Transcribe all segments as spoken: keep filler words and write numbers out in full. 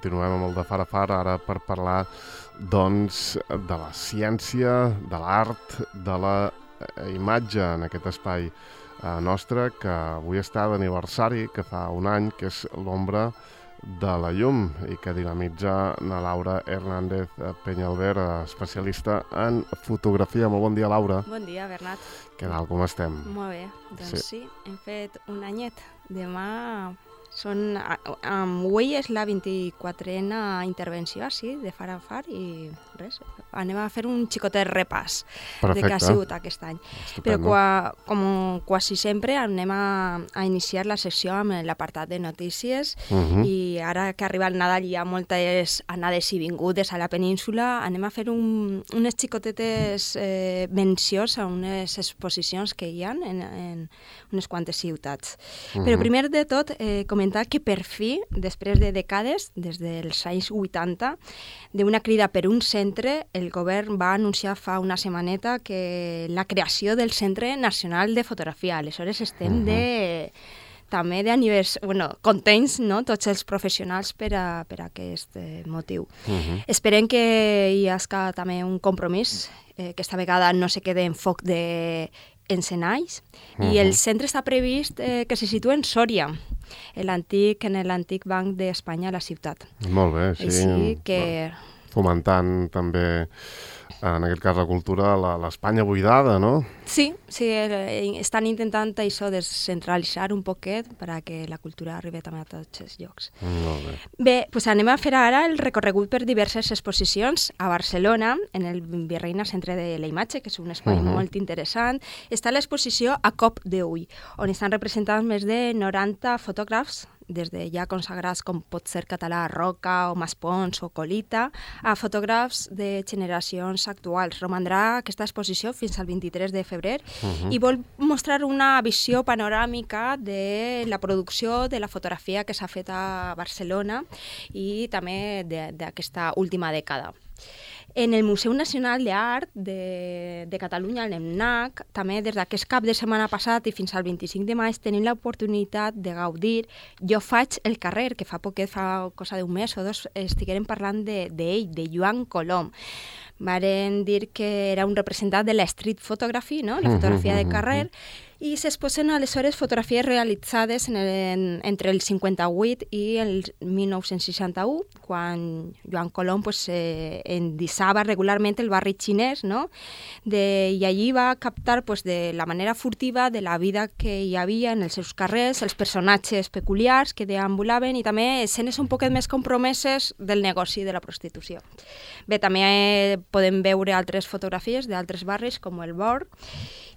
continuem amb el de Far a Far, ara per parlar doncs, de la ciència, de l'art, de la imatge en aquest espai eh, nostre, que avui està d'aniversari, que fa un any, que és l'Ombra de la llum, i que dinamitza na Laura Hernández Peñalver, especialista en fotografia. Molt bon dia, Laura. Bon dia, Bernat. Què tal, com estem? Molt bé, doncs sí, Sí. sí hem fet un anyet. Demà són... Um, avui és la vint-i-quatrena intervenció, sí, de Far a Far, i res, anem a fer un xicotet repàs Perfecte. de què ha sigut aquest any. Estupendo. Però qua, com quasi sempre anem a, a iniciar la secció amb l'apartat de notícies, Uh -huh. i ara que arriba el Nadal i hi ha moltes anades i vingudes a la península, anem a fer un, unes xicotetes eh, mencions a unes exposicions que hi ha en, en unes quantes ciutats. Uh -huh. Però primer de tot, eh, comentar que per fi, després de dècades, des dels anys vuitanta, d'una crida per un centre, el govern va anunciar fa una setmaneta que la creació del Centre Nacional de Fotografia. Aleshores estem uh -huh. de... també d'anivers... Bueno, contents, no?, tots els professionals per a, per a aquest eh, motiu. Uh -huh. Esperem que hi hagi també un compromís, eh, que esta vegada no se quede en foc de encenalls, uh -huh. i el centre està previst eh, que se situa en Sòria, en l'antic en l'antic Banc d'Espanya a la ciutat. Molt bé, sí. Així que... Fomentant també, en aquest cas, la cultura, la- l'Espanya buidada, no? Sí, sí, eh, estan intentant això, descentralitzar un poquet per a que la cultura arribi també a tots els llocs. Molt bé. Bé, doncs anem a fer ara el recorregut per diverses exposicions. A Barcelona, en el Virreina Centre de la Imatge, que és un espai Uh-huh. molt interessant, està l'exposició A cop d'ull, on estan representats més de noranta fotògrafs, des de ja consagrats com pot ser Català Roca o Maspons o Colita, a fotògrafs de generacions actuals. Romandrà aquesta exposició fins al vint-i-tres de febrer Uh-huh. i vol mostrar una visió panoràmica de la producció de la fotografia que s'ha fet a Barcelona i també de- d'aquesta última dècada. En el Museu Nacional d'Art de, de Catalunya, el MNAC, també des d'aquest cap de setmana passat i fins al vint-i-cinc de maig tenim l'oportunitat de gaudir Jo faig el carrer, que fa poquet, fa cosa d'un mes o dos, estiguérem parlant d'ell, de, de Joan Colom. Varen dir que era un representant de la street photography, no?, la fotografia de carrer, i s'exposen aleshores fotografies realitzades en el, en, entre el cinquanta-vuit i el mil nou-cents seixanta-u, quan Joan Colom pues, eh, endissava regularment el barri xinès, no?, de, i allí va captar pues, de la manera furtiva de la vida que hi havia en els seus carrers, els personatges peculiars que deambulaven i també escenes un poquet més compromeses del negoci de la prostitució. Bé, també eh, podem veure altres fotografies d'altres barris com el Born.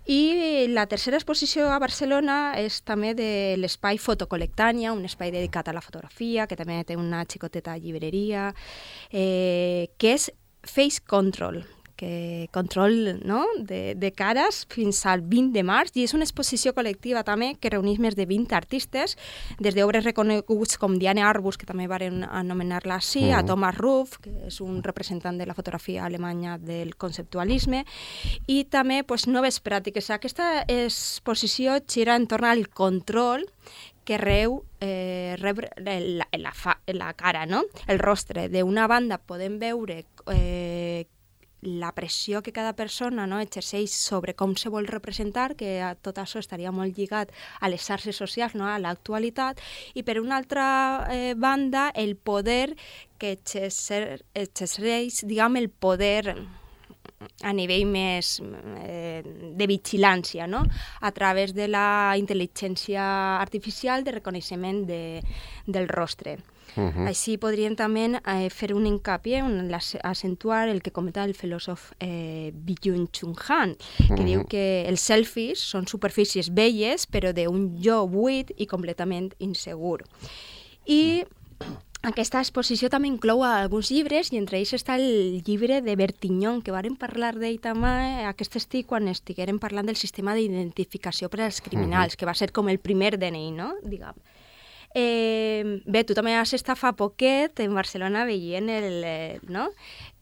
I la tercera exposició a Barcelona és també de l'espai Fotocolectània, un espai dedicat a la fotografia, que també té una xicoteta llibreria, eh, que és Face Control, que control, no?, de, de cares fins al vint de març, i és una exposició col·lectiva també que reuneix més de vint artistes, des d'obres reconeguts com Diane Arbus, que també varen anomenar-la així, Mm. a Thomas Ruff, que és un representant de la fotografia alemanya del conceptualisme, i també pues, noves pràctiques. Aquesta exposició gira entorn al control que reu eh, rebre la, la, fa, la cara, no?, el rostre. D'una banda podem veure eh, la pressió que cada persona, no?, exerceix sobre com se vol representar, que a tot això estaria molt lligat a les xarxes socials, no?, a l'actualitat, i per una altra eh, banda el poder que exercer, exerceix, diguem, el poder a nivell més eh, de vigilància, no?, a través de la intel·ligència artificial de reconeixement de, del rostre. Uh-huh. Així podríem també eh, fer un hincapié, un, acentuar el que comenta el filòsof eh, Byung-Chul Han, que Uh-huh. diu que els selfies són superfícies belles, però d'un jo buit i completament insegur. I aquesta exposició també inclou alguns llibres, i entre ells està el llibre de Bertignon, que vàrem parlar d'ell també aquest estiu quan estiguérem parlant del sistema d'identificació per als criminals, uh-huh. que va ser com el primer D N I, no?, diguem. Eh, bé, tu també has estat fa poquet en Barcelona veient el, eh, no?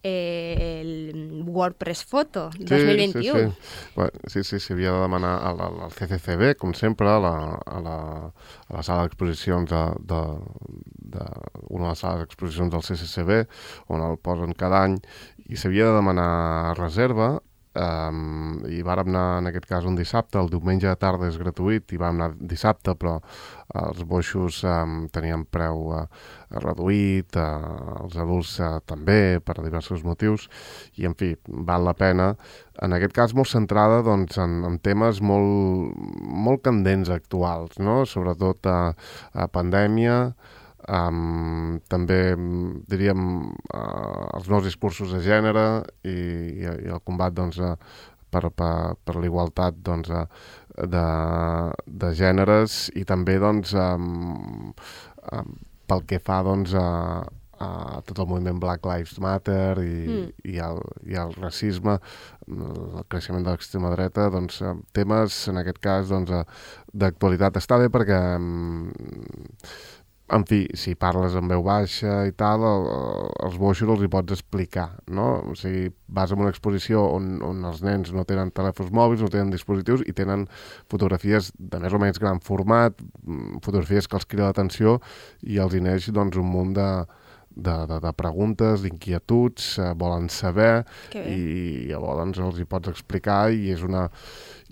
eh, el WordPress Photo dos mil vint-i-u. Sí, sí, sí. Sí, sí, s'havia de demanar al, al C C C B, com sempre, a la, a la, a la sala d'exposicions de, de, d'una de les sales d'exposicions del C C C B, on el posen cada any, i s'havia de demanar reserva. Um, i vàrem anar en aquest cas un dissabte, el diumenge de tarda és gratuït i vam anar dissabte, però els boixos um, tenien preu uh, reduït, uh, els adults uh, també, per diversos motius, i en fi, val la pena, en aquest cas molt centrada doncs, en, en temes molt, molt candents actuals, no? Sobretot a, a pandèmia, Um, també diríem uh, els nous discursos de gènere i, i, i el combat doncs, uh, per, per, per l'igualtat doncs, uh, de, de gèneres i també doncs, um, um, pel que fa doncs, a, a tot el moviment Black Lives Matter i, mm. i, el, i el racisme, el creixement de l'extrema dreta, doncs, temes en aquest cas doncs, d'actualitat. Està bé perquè um, en fi, si parles en veu baixa i tal, el, els boixos els hi pots explicar, no? O sigui, vas a una exposició on, on els nens no tenen telèfons mòbils, no tenen dispositius i tenen fotografies de més o menys gran format, fotografies que els crida l'atenció i els hi neix doncs, un munt de, de, de, de preguntes, d'inquietuds, eh, volen saber i llavors doncs, els hi pots explicar i és una...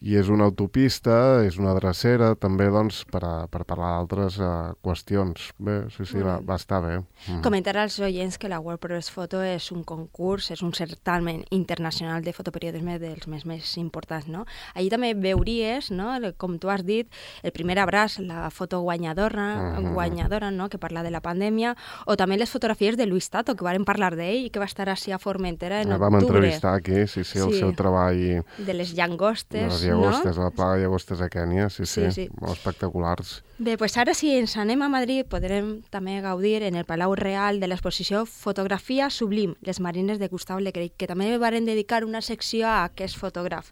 I és una autopista, és una drecera, també doncs, per, a, per parlar d'altres uh, qüestions. Bé, sí, sí, va, va estar bé. Mm. Comentar als oients que la World Press Photo és un concurs, és un certamen internacional de fotoperiodisme dels més, més importants, no? Allí també veuries, no?, com tu has dit, el primer abraç, la foto guanyadora, mm-hmm. guanyadora, no?, que parla de la pandèmia, o també les fotografies de Luis Tato, que vam parlar d'ell i que va estar així a Formentera en ja, octubre. Vam entrevistar aquí, sí, sí, el sí. seu treball... De les llangostes, llagostes, no? La plaga de llagostes a Kènia, sí, sí, sí, sí. Molt espectaculars. Bé, doncs ara si ens anem a Madrid podrem també gaudir en el Palau Real de l'exposició Fotografia Sublim, les marines de Gustau Le Gray, que també varen dedicar una secció a aquest fotògraf.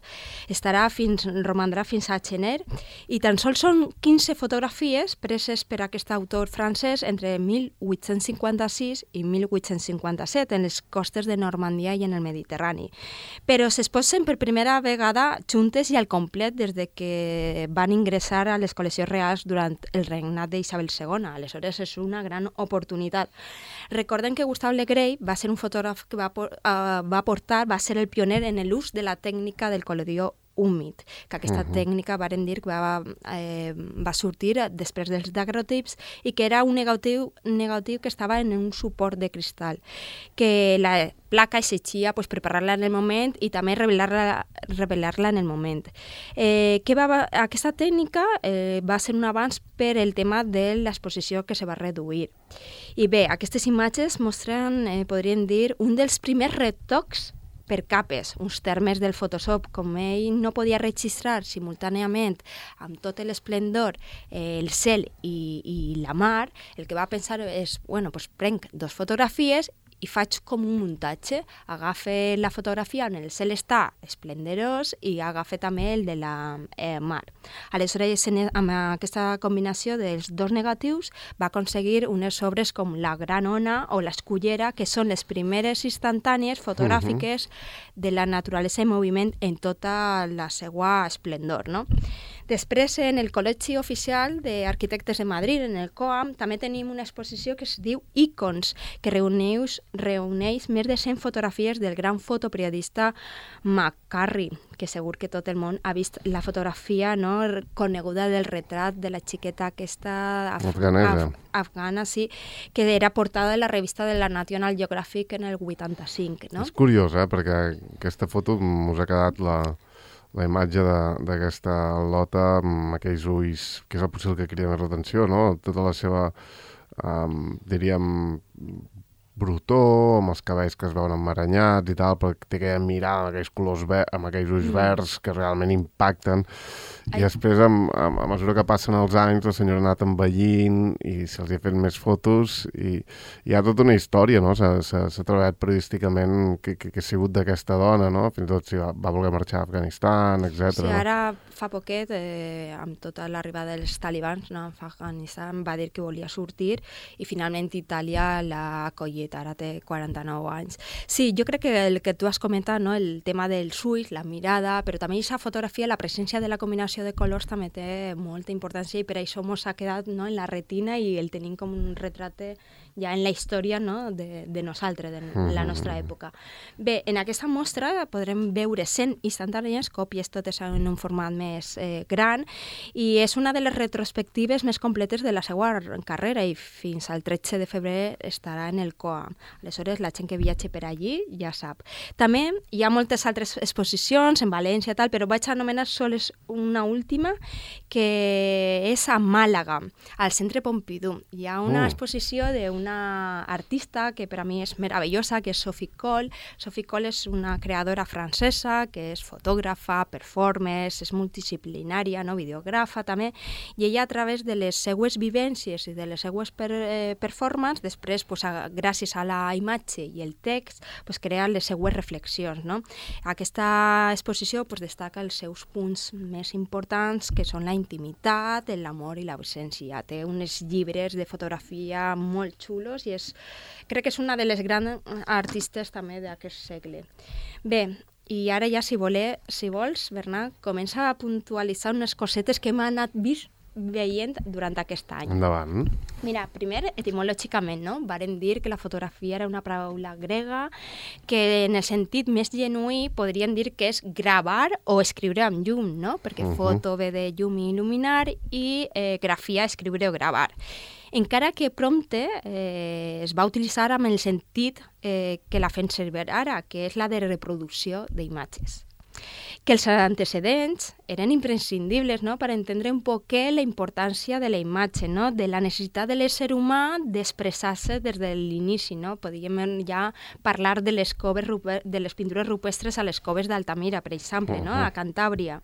Estarà fins, romandrà fins a gener i tan sols són quinze fotografies preses per aquest autor francès entre mil vuit-cents cinquanta-sis i mil vuit-cents cinquanta-set en les costes de Normandia i en el Mediterrani. Però s'exposen per primera vegada juntes i al complet des de que van ingressar a les col·leccions reals durant el regnat d'Isabel segona. Aleshores és una gran oportunitat. Recordem que Gustau Le Gray va ser un fotògraf que va, uh, va portar, va ser el pioner en l'ús de la tècnica del colorió húmid, que aquesta uh-huh. tècnica varen dir que va, eh, va sortir després dels daguerrotips i que era un negatiu, negatiu que estava en un suport de cristal, que la placa exigia pues, preparar-la en el moment i també revelar-la, revelar-la en el moment. Eh, que va, aquesta tècnica eh, va ser un avanç per el tema de l'exposició que se va reduir. I bé, aquestes imatges mostren, eh, podríem dir, un dels primers retocs per capes, uns termes del Photoshop, com ell no podia registrar simultàniament amb tot l'esplendor eh, el cel i, i la mar, el que va pensar és, bueno, doncs prenc dos fotografies i faig com un muntatge. Agafe la fotografia on el cel està esplendorós i agafe també el de la eh, mar. Aleshores, amb aquesta combinació dels dos negatius, va aconseguir unes obres com la Gran Ona o l'Escullera, que són les primeres instantànies fotogràfiques uh-huh. de la naturalesa en moviment en tota la seva esplendor, no? Després, en el Col·legi Oficial d'Arquitectes de Madrid, en el COAM, també tenim una exposició que es diu Icons, que reuneix, reuneix més de cent fotografies del gran fotoperiodista McCarthy, que segur que tot el món ha vist la fotografia, no?, coneguda del retrat de la xiqueta aquesta af- af- afgana, sí, que era portada de la revista de la National Geographic en el vuitanta-cinc, no? És curiós, eh?, perquè aquesta foto us ha quedat la... la imatge d'aquesta lota amb aquells ulls, que és el potser el que crida més l'atenció, no? Tota la seva, um, diríem, brutó, amb els cabells que es veuen emmaranyats i tal, perquè té aquella mirada amb aquells colors verds, amb aquells ulls mm. verds que realment impacten. I Ai. després, a, a, a mesura que passen els anys, la senyora ha anat envellint i se'ls ha fet més fotos i hi ha tota una història, no? S'ha, s'ha, s'ha treballat periodísticament que, que, que ha sigut d'aquesta dona, no? Fins i tot si va, va voler marxar a Afganistan, etcètera. Sí, ara fa poquet, eh, amb tota l'arribada dels talibans, no, a Afganistan, va dir que volia sortir i finalment Itàlia l'ha acollit. divuit, ara té quaranta-nou anys. Sí, jo crec que el que tu has comentat, no? El tema dels ulls, la mirada, però també aquesta fotografia, la presència de la combinació de colors també té molta importància i per això mos ha quedat, no? En la retina i el tenim com un retrat ja en la història, no? de, de nosaltres, de la nostra època. Bé, en aquesta mostra podrem veure cent instantànies, còpies totes en un format més eh, gran, i és una de les retrospectives més completes de la seva carrera i fins al tretze de febrer estarà en el C O A M. Aleshores, la gent que viatge per allí ja sap. També hi ha moltes altres exposicions en València, tal, però vaig anomenar sols una última, que és a Màlaga, al Centre Pompidou. Hi ha una uh. exposició d'una artista que per a mi és meravellosa, que és Sophie Cole. Sophie Cole és una creadora francesa que és fotògrafa, performance, és multidisciplinària, no? Videògrafa també, i ella a través de les seues vivències i de les seues per, eh, performances, després, pues, a, gràcies a la imatge i el text, pues, crea les seues reflexions. No? Aquesta exposició pues, destaca els seus punts més importants, que són la intimitat, l'amor i l'ausència. Té uns llibres de fotografia molt xulos i és, crec que és una de les grans artistes també d'aquest segle. Bé, i ara ja, si, voler, si vols, Bernat, comença a puntualitzar unes cosetes que m'han anat vist veient durant aquest any. Endavant. Mira, primer, etimològicament, no? Varen dir que la fotografia era una paraula grega que en el sentit més genuí podrien dir que és gravar o escriure amb llum, no? Perquè uh -huh. foto ve de llum i il·luminar i eh, grafia, escriure o gravar. Encara que prompte eh, es va utilitzar amb el sentit eh, que la fem servir ara, que és la de reproducció d'imatges. Que els antecedents eren imprescindibles, no?, per entendre un poc la importància de la imatge, no?, de la necessitat de l'ésser humà d'expressar-se des de l'inici, no? Podíem ja parlar de les, coves, de les pintures rupestres a les coves d'Altamira, per exemple, no?, a Cantàbria.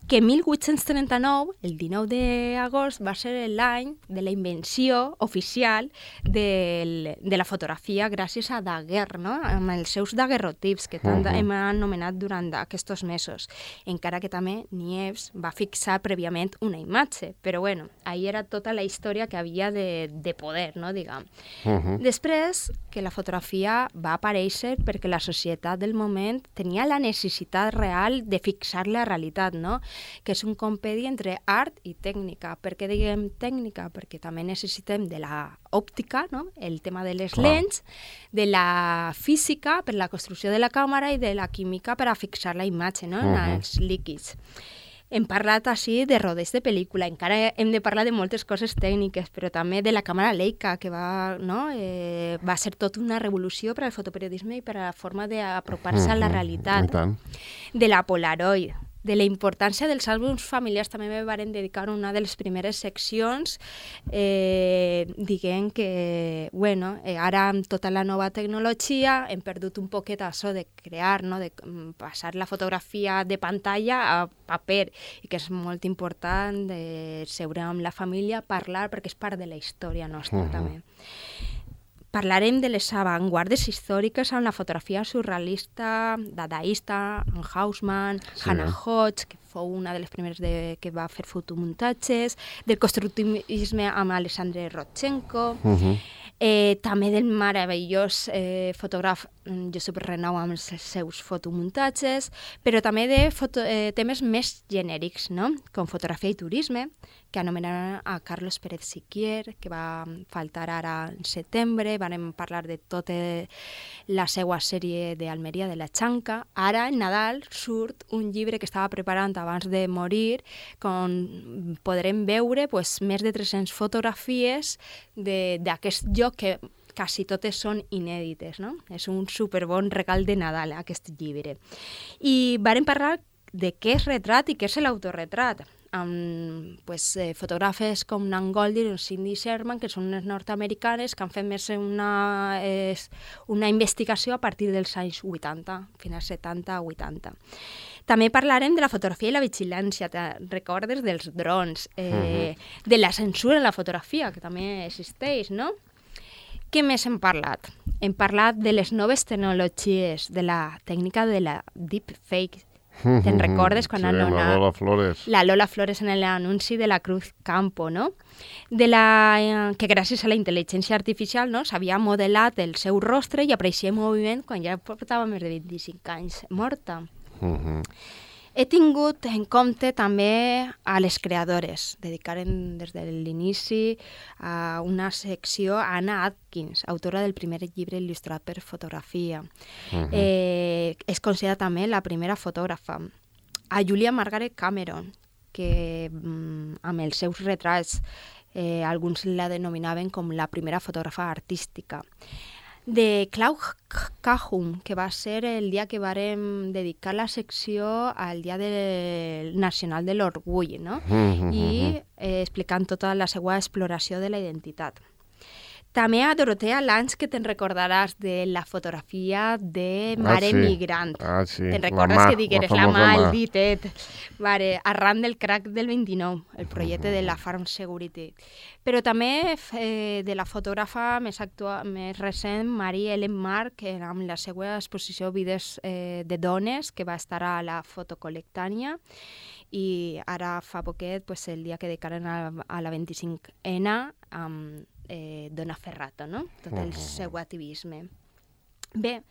Que mil vuit-cents trenta-nou, el dinou d'agost, va ser l'any de la invenció oficial de, de la fotografia gràcies a Daguerre, no?, amb els seus daguerrotips que tant uh -huh. hem anomenat durant aquests mesos. Encara que també Niepce va fixar prèviament una imatge, però bueno, ahí era tota la història que havia de, de poder, no, diguem. Uh -huh. Després, que la fotografia va aparèixer perquè la societat del moment tenia la necessitat real de fixar la realitat, no?, que és un compedi entre art i tècnica. Per què diguem tècnica? Perquè també necessitem de la òptica, no?, el tema de les lents, de la física per la construcció de la càmera i de la química per a fixar la imatge, no?, en uh -huh. els líquids. Hem parlat així de rodes de pel·lícula, encara hem de parlar de moltes coses tècniques, però també de la càmera Leica, que va, no, eh, va ser tot una revolució per al fotoperiodisme i per a la forma d'apropar-se uh -huh. a la realitat. De la Polaroid, de la importància dels àlbums familiars, també me varen dedicar una de les primeres seccions, eh, diguem que, bueno, eh, ara amb tota la nova tecnologia hem perdut un poquet això de crear, no?, de passar la fotografia de pantalla a paper, i que és molt important de seure amb la família, parlar, perquè és part de la història nostra, uh-huh. també. Parlarem de les avantguardes històriques amb la fotografia surrealista, dadaista, en Haussmann, sí. Hannah Hodge, que fou una de les primeres de, que va fer fotomuntatges, del constructivisme amb Alexandre Rodchenko, uh-huh. eh, també del meravellós eh, fotògraf Josep Renau amb els seus fotomuntatges, però també de foto, eh, temes més genèrics, no?, com fotografia i turisme, que anomenaran a Carlos Pérez Siquier, que va faltar ara en setembre. Vam parlar de tota la seva sèrie d'Almeria de la Xanca. Ara, en Nadal, surt un llibre que estava preparant abans de morir, on podrem veure pues, més de tres-centes fotografies d'aquest lloc que quasi totes són inèdites, no? És un superbon regal de Nadal, aquest llibre. I vàrem parlar de què és retrat i què és l'autorretrat, amb pues, eh, fotògrafes com Nan Goldin o Cindy Sherman, que són unes nord-americanes que han fet més una, eh, una investigació a partir dels anys vuitanta, finals setanta a vuitanta. També parlarem de la fotografia i la vigilància, te recordes dels drons, eh, uh-huh. de la censura en la fotografia, que també existeix, no? Què més hem parlat? Hem parlat de les noves tecnologies, de la tècnica de la deepfake, Te'n recordes? Quan sí, han amb la donat Lola Flores. la Lola Flores en l'anunci de la Cruz Campo, no? De la, eh, que gràcies a la intel·ligència artificial, no, s'havia modelat el seu rostre i apareixia en moviment quan ja portava més de vint-i-cinc anys morta. Uh -huh. He tingut en compte també a les creadores. Dedicaren des de l'inici a una secció a Anna Atkins, autora del primer llibre il·lustrat per fotografia. Uh -huh. eh, és considerada també la primera fotògrafa. A Julia Margaret Cameron, que mm, amb els seus retrats eh, alguns la denominaven com la primera fotògrafa artística. De Claude Cahun, que va ser el dia que vàrem dedicar la secció al Dia de... Nacional de l'Orgull, no? Mm-hmm. I eh, explicant tota la seva exploració de la identitat. També a Dorotea Lange, que te'n recordaràs de la fotografia de Mare ah, sí. Migrant. Ah, sí. Te'n recordes mà, que digueres la, la mà, el ditet, vale, arran del crack del vint-i-nou, el projecte de la Farm Security. Però també eh, de la fotògrafa més, actua, més recent, Marie Ellen Marc, amb la seva exposició Vides eh, de dones, que va estar a la Fotocolectània, i ara fa poquet, pues, el dia que dedicaren a, a la vint-i-cinc ena, amb eh, Donna Ferrato, no? Tot el seu activisme. Bé,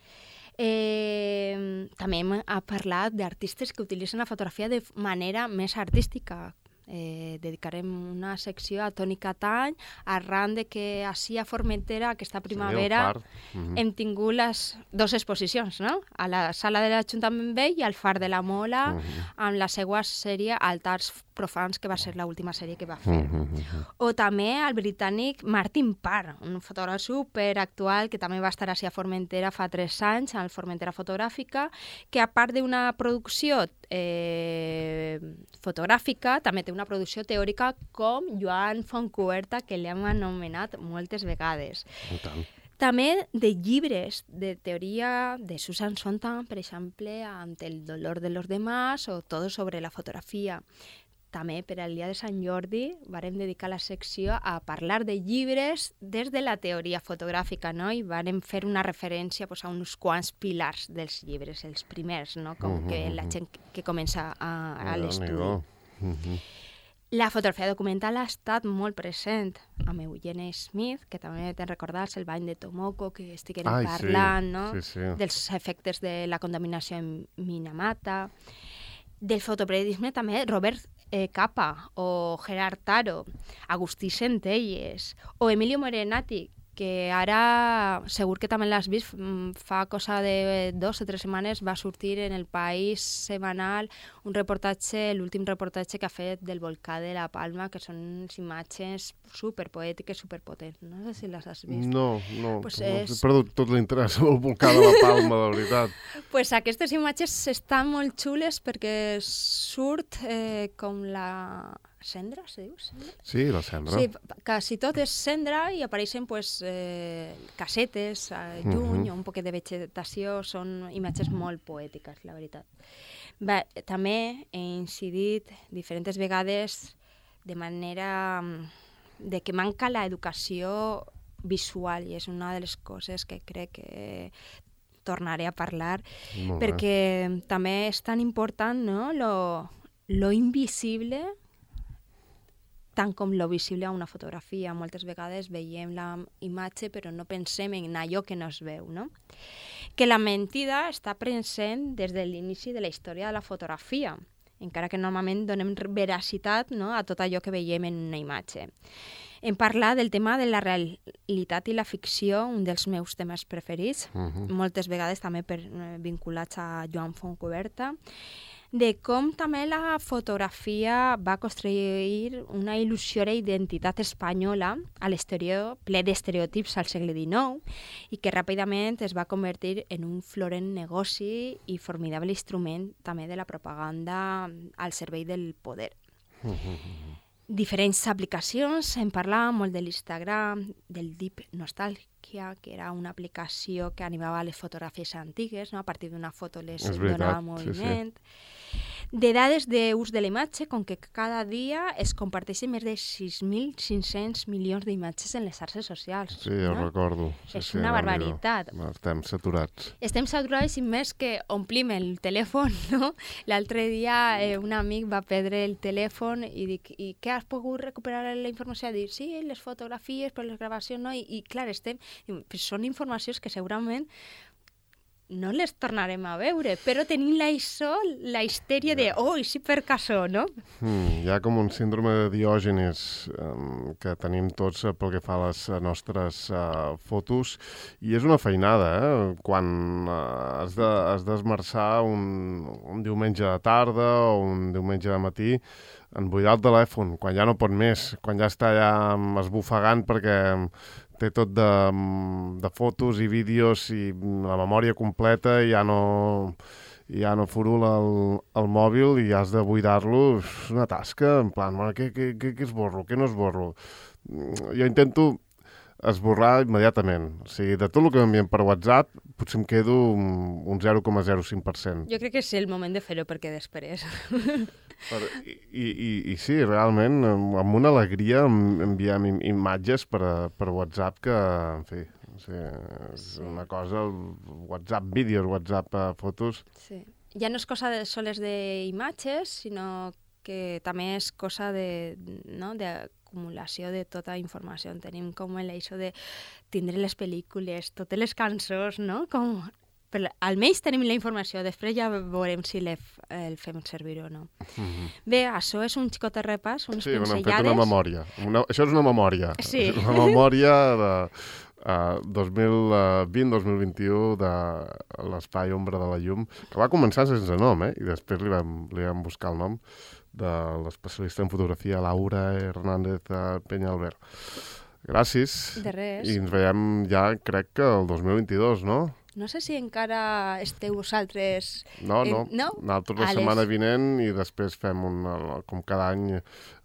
eh, també hem parlat d'artistes que utilitzen la fotografia de manera més artística. Eh, dedicarem una secció a Toni Catany, arran de que així a Formentera, aquesta primavera, sí, mm-hmm. hem tingut les dues exposicions, no? A la sala de l'Ajuntament Vell i al Far de la Mola, mm-hmm. amb la seva sèrie Altars Profans, que va ser l'última sèrie que va fer. Mm-hmm. O també el britànic Martin Parr, un fotògraf superactual que també va estar així a Formentera fa tres anys, al Formentera Fotogràfica, que a part d'una producció eh, fotogràfica, també té una producció teòrica com Joan Fontcuberta, que l'hem anomenat moltes vegades. També de llibres de teoria de Susan Sontag, per exemple, Ante el dolor de los demás o Todo sobre la fotografia. També per al dia de Sant Jordi vàrem dedicar la secció a parlar de llibres des de la teoria fotogràfica, no? I vàrem fer una referència pues, a uns quants pilars dels llibres, els primers, no? Com uh-huh. que la gent que comença a, a l'estudi. Uh-huh. La fotografia documental ha estat molt present amb Eugene Smith, que també te'n recordes el bany de Tomoko, que estiguem Ai, parlant, sí, no? Sí, sí. Dels efectes de la contaminació en Minamata. Del fotoperiodisme també Robert eh, Capa o Gerard Taro, Agustí Centelles o Emilio Morenati, que ara segur que també l'has vist, fa cosa de dos o tres setmanes va sortir en El País setmanal un reportatge, l'últim reportatge que ha fet del volcà de la Palma, que són unes imatges superpoètiques, superpotents. No sé si les has vist. No, no, pues no és... he perdut tot l'interès al volcà de la Palma, de veritat. Pues aquestes imatges estan molt xules perquè surt eh, com la... Cendra, se diu? Cendra? Sí, la cendra. Sí, quasi tot és cendra i apareixen pues, eh, casetes, eh, lluny, uh-huh. o un poquet de vegetació. Són imatges molt poètiques, la veritat. Bé, també he incidit diferents vegades de manera de que manca l'educació visual i és una de les coses que crec que tornaré a parlar perquè també és tan important, no? lo, lo invisible tant com lo visible a una fotografia. Moltes vegades veiem la imatge però no pensem en allò que no es veu, no? Que la mentida està present des de l'inici de la història de la fotografia, encara que normalment donem veracitat, no, a tot allò que veiem en una imatge. Hem parlat del tema de la realitat i la ficció, un dels meus temes preferits, uh-huh. moltes vegades també per, vinculats a Joan Fontcuberta, de com també la fotografia va construir una il·lusió d'identitat espanyola a l'exterior, ple d'estereotips al segle dinou, i que ràpidament es va convertir en un florent negoci i formidable instrument també de la propaganda al servei del poder. Diferents aplicacions, hem parlat molt de l'Instagram, del Deep Nostalgia, que era una aplicació que animava les fotografies antigues, no? A partir d'una foto les donava moviment. Sí, sí. De dades d'ús de la imatge, com que cada dia es comparteixen més de sis mil cinc-cents milions d'imatges en les xarxes socials. Sí, jo no? recordo. Sí, és sí, una no, barbaritat. No, estem saturats. Estem saturats i més que omplim el telèfon, no? L'altre dia eh, un amic va perdre el telèfon i dic, i què has pogut recuperar la informació? Dic, sí, les fotografies, però les gravacions no, i, i clar, estem... Pues són informacions que segurament no les tornarem a veure, però tenim la això, la histèria de, oh, i sí per caso, no? Mm, hi ha com un síndrome de Diògenes um, que tenim tots uh, pel que fa a les uh, nostres uh, fotos, i és una feinada, eh? Quan uh, has de, has d'esmerçar un, un diumenge de tarda o un diumenge de matí en buidar el telèfon, quan ja no pot més, quan ja està ja esbufegant perquè té tot de, de fotos i vídeos i la memòria completa i ja no, ja no furula el, el mòbil i has de buidar-lo. És una tasca, en plan, bueno, què, què, què, què esborro, què no esborro? Jo intento esborrar immediatament. O sigui, de tot el que m'envien per WhatsApp, potser em quedo un zero coma zero cinc per cent. Jo crec que és el moment de fer-ho, perquè després... Per, i, i, I sí, realment, amb una alegria enviem im imatges per, per WhatsApp que, en fi, o sigui, és sí. Una cosa, WhatsApp vídeos, WhatsApp uh, fotos... Sí. Ja no és cosa de, soles d'imatges, sinó que també és cosa de, no, de acumulació de tota informació. Tenim com l'això de tindre les pel·lícules, totes les cançons, no? Com... Però almenys tenim la informació, després ja veurem si el fem servir o no. Mm-hmm. Bé, això és un xicot de repàs, unes sí, pinzellades. Sí, hem fet una memòria. Una... Això és una memòria. Sí. Una memòria de uh, dos mil vint dos mil vint-i-u de l'Espai Ombra de la Llum, que va començar sense nom, eh? I després li vam, li vam buscar el nom de l'especialista en fotografia Laura Hernández Peñalver. Gràcies. De res. I ens veiem ja, crec que el dos mil vint-i-dos, no? No sé si encara esteu vosaltres... No, no. En... no? Nosaltres la setmana vinent i després fem, un, com cada any,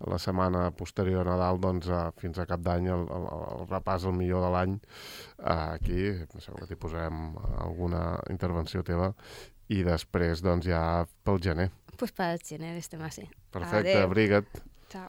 la setmana posterior a Nadal, doncs, fins a cap d'any, el, el, el repàs el millor de l'any. Aquí, segur que t'hi posarem alguna intervenció teva. I després, doncs, ja pel gener. Doncs pues pel gener estem així. Perfecte, abriga't. Ciao.